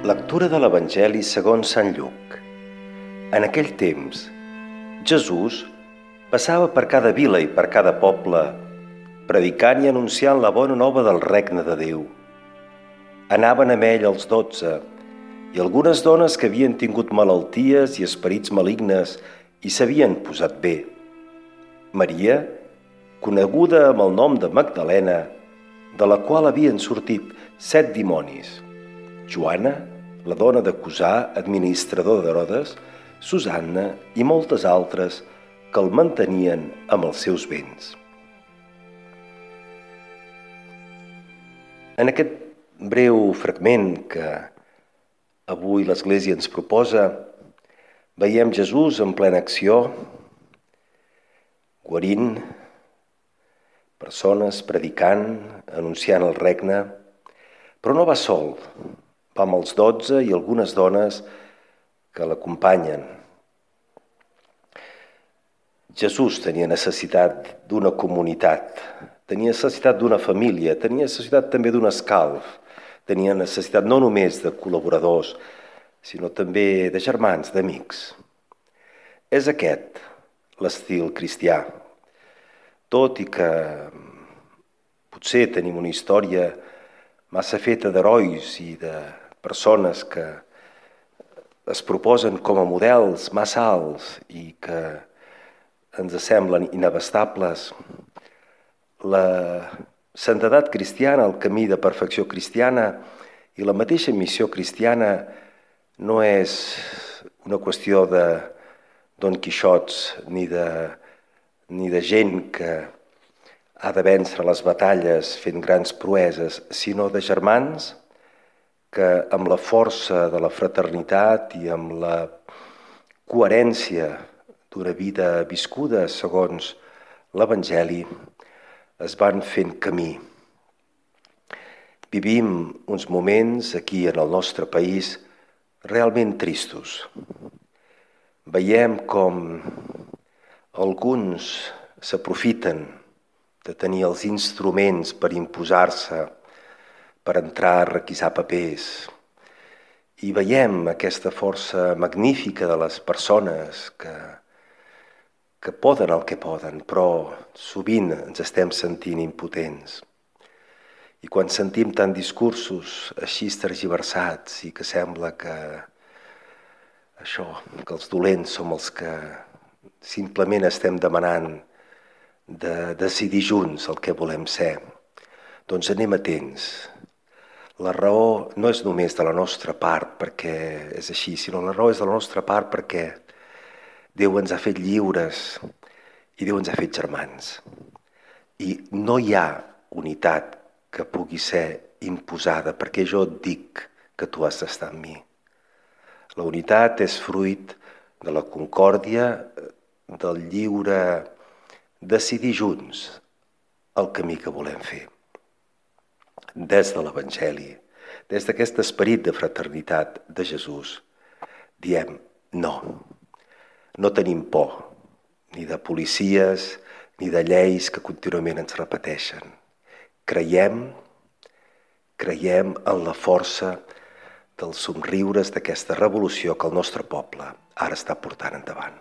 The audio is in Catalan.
Lectura de l'Evangeli segons Sant Lluc. En aquell temps, Jesús passava per cada vila i per cada poble, predicant i anunciant la bona nova del regne de Déu. Anaven amb ell els 12, i algunes dones que havien tingut malalties i esperits malignes i s'havien posat bé. Maria, coneguda amb el nom de Magdalena, de la qual havien sortit 7 dimonis. Joana, la dona de Cusà, administrador d'Herodes, Susanna i moltes altres que el mantenien amb els seus béns. En aquest breu fragment que avui l'Església ens proposa, veiem Jesús en plena acció, guarint persones, predicant, anunciant el regne, però no va sol. Va amb els 12 i algunes dones que l'acompanyen. Jesús tenia necessitat d'una comunitat, tenia necessitat d'una família, tenia necessitat també d'un escalf, tenia necessitat no només de col·laboradors, sinó també de germans, d'amics. És aquest l'estil cristià. Tot i que potser tenim una història massa feta d'herois i de persones que es proposen com a models massa alts i que ens semblen inabastables, la santedat cristiana, el camí de perfecció cristiana i la mateixa missió cristiana no és una qüestió de Don Quixots ni de gent que ha de vèncer les batalles fent grans proeses, sinó de germans que amb la força de la fraternitat i amb la coherència d'una vida viscuda segons l'Evangeli es van fent camí. Vivim uns moments aquí en el nostre país realment tristos. Veiem com alguns s'aprofiten de tenir els instruments per imposar-se, per entrar a requisar papers. I veiem aquesta força magnífica de les persones que poden el que poden, però sovint ens estem sentint impotents. I quan sentim tant discursos així tergiversats i que sembla que els dolents som els que simplement estem demanant de decidir junts el que volem ser, doncs anem atents. La raó no és només de la nostra part perquè és així, sinó la raó és de la nostra part perquè Déu ens ha fet lliures i Déu ens ha fet germans. I no hi ha unitat que pugui ser imposada perquè jo et dic que tu has d'estar amb mi. La unitat és fruit de la concòrdia, del lliure decidir junts el camí que volem fer. Des de l'Evangeli, des d'aquest esperit de fraternitat de Jesús, diem no. No tenim por, ni de policies, ni de lleis que contínuament ens repeteixen. Creiem en la força dels somriures d'aquesta revolució que el nostre poble ara està portant endavant.